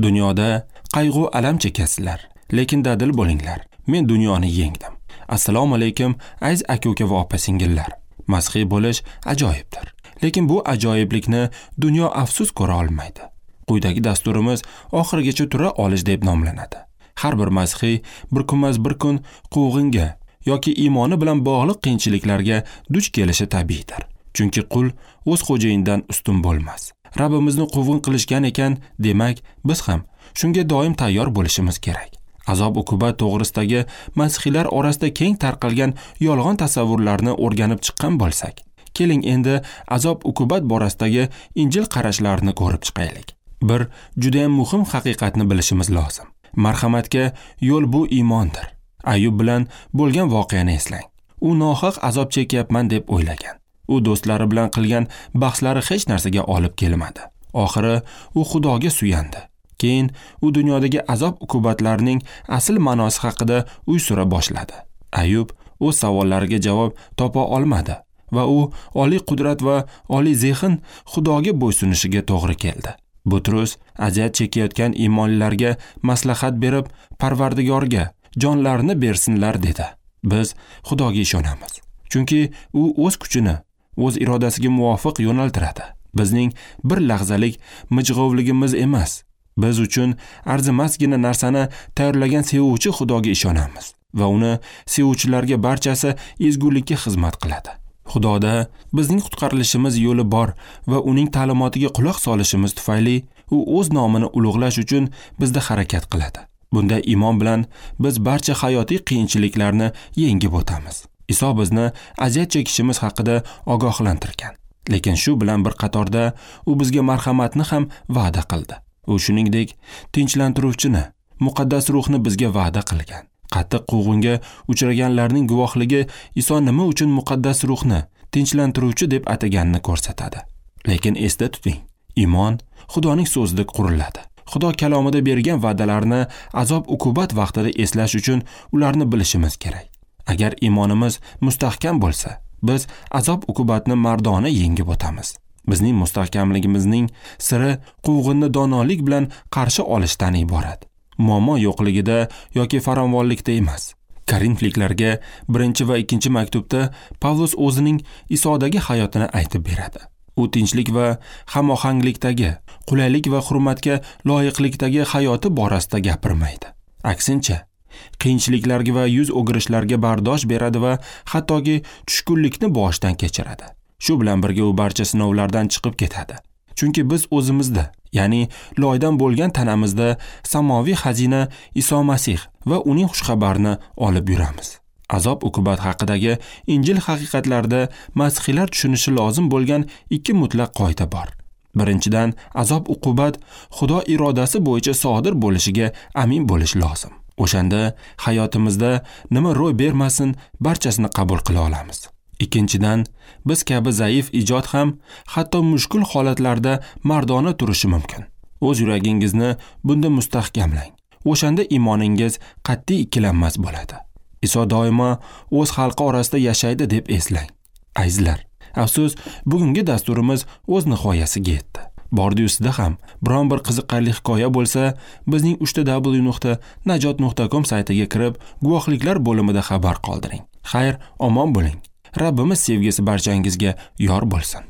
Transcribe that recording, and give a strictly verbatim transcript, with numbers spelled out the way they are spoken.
Dunyoda qayg'u alam chekasizlar, lekin dadil bo'linglar. Men dunyoni yengdim. Assalomu alaykum aziz aka-uka va opa-singillar. Masihiy bo'lish ajoyibdir. Lekin bu ajoyiblikni dunyo afsus ko'ra olmaydi. Quyidagi dasturimiz oxirigacha tura olish deb nomlanadi. Har bir masihiy bir kunmas bir kun quvg'inga yoki iymoni bilan bog'liq qiyinchiliklarga duch kelishi tabiiydir. Chunki qul o'z xo'jayinidan ustun bo'lmas. Rabbimizni quvg'in qilishgan ekan, demak, biz ham shunga doim tayyor bo'lishimiz kerak. Azob uqubat to'g'risidagi masihiylar orasida keng tarqalgan yolg'on tasavvurlarni o'rganib chiqqan bo'lsak, keling endi azob uqubat borasidagi Injil qarashlarini ko'rib chiqaylik. Bir juda ham muhim haqiqatni bilishimiz lozim. Marhamatga yo'l bu iymondir. Ayub bilan bo'lgan voqeani eslang. U nohaq azob chekyapman deb o'ylagan. U do'stlari bilan qilgan bahslari hech narsaga olib kelmadi. Oxiri u Xudoga suyandi. Keyin u dunyodagi azob uqubatlarning asl ma'nosi haqida uy sura boshladi. Ayub o'z savollariga javob topa olmadi va u oliy qudrat va oliy zehn Xudoga bo'ysunishiga to'g'ri keldi. Butrus aziyat chekayotgan iymonlilarga maslahat berib, Parvardigorga jonlarini bersinlar dedi. Biz Xudoga ishonamiz, chunki u o'z kuchini o'z irodasiga muvofiq yo'naltiradi. Bizning bir lahzalik mijg'ovligimiz emas, biz uchun arzimasgina narsani tayyorlagan sevuvchi Xudoga ishonamiz va uni sevuvchilarga barchasi ezgulikka xizmat qiladi. Xudoda bizning qutqarilishimiz yo'li bor va uning ta'limotiga quloq solishimiz tufayli u o'z nomini ulug'lash uchun bizda harakat qiladi. Bunday iymon bilan biz barcha hayotiy qiyinchiliklarni yengib o'tamiz. Iso bizni aziyat chekishimiz haqida ogohlantirgan. Lekin shu bilan bir qatorda u bizga marhamatni ham va'da qildi. U shuningdek tinchlantiruvchini, muqaddas ruhni bizga va'da qilgan. Qattiq quvg'inga uchraganlarning guvohligi Iso nima uchun muqaddas ruhni tinchlantiruvchi deb ataganini ko'rsatadi. Lekin esda tuting, iymon Xudoning so'zida quriladi. Xudo kalomida bergan va'dalarni azob uqubat vaqtida eslash uchun ularni bilishimiz kerak. Agar iymonimiz mustahkam bo'lsa, biz azob uqubatni mardona yengib o'tamiz. Bizning mustahkamligimizning siri quvg'inni donolik bilan qarshi olishdan iborat. Muammo yo'qligida yoki farovonlikda emas. Korinfliklarga birinchi va ikkinchi maktubda Pavlus o'zining Isodagi hayotini aytib beradi. U tinchlik va hamohanglikdagi, qulaylik va hurmatga loyiqlikdagi hayoti borasida gapirmaydi. Aksincha, qiyinchiliklarga va yuz o'girishlarga bardosh beradi va hattoki tushkunlikni boshdan kechiradi. Shu bilan birga u barcha sinovlardan chiqib ketadi. Chunki biz o'zimizda, ya'ni loydan bo'lgan tanamizda samoviy xazina Iso Masih va uning xushxabarini olib yuramiz. Azob uqubat haqidagi Injil haqiqatlarida masihiylar tushunishi lozim bo'lgan ikki mutlaq qoida bor. Birinchidan, azob uqubat Xudo irodasi bo'yicha sodir bo'lishiga amin bo'lish lozim. O'shanda hayotimizda nima ro'y bermasin, barchasini qabul qila olamiz. Ikkinchidan, biz kabi zaif ijod ham hatto mushkul holatlarda mardona turishi mumkin. O'z yuragingizni bunda mustahkamlang. O'shanda iymoningiz qat'iy ikkilanmas bo'ladi. Iso doimo o'z xalqi orasida yashaydi deb eslang. Azizlar, afsus, bugungi dasturimiz o'z nihoyasiga yetdi. Bordi-yu sizda ham biron bir qiziqarli hikoya bo'lsa, bizning uch ta w nuqta najot nuqta com saytiga kirib, guvohliklar bo'limida xabar qoldiring. Xayr, omon bo'ling. Rabbimiz sevgisi barchangizga yor bo'lsin.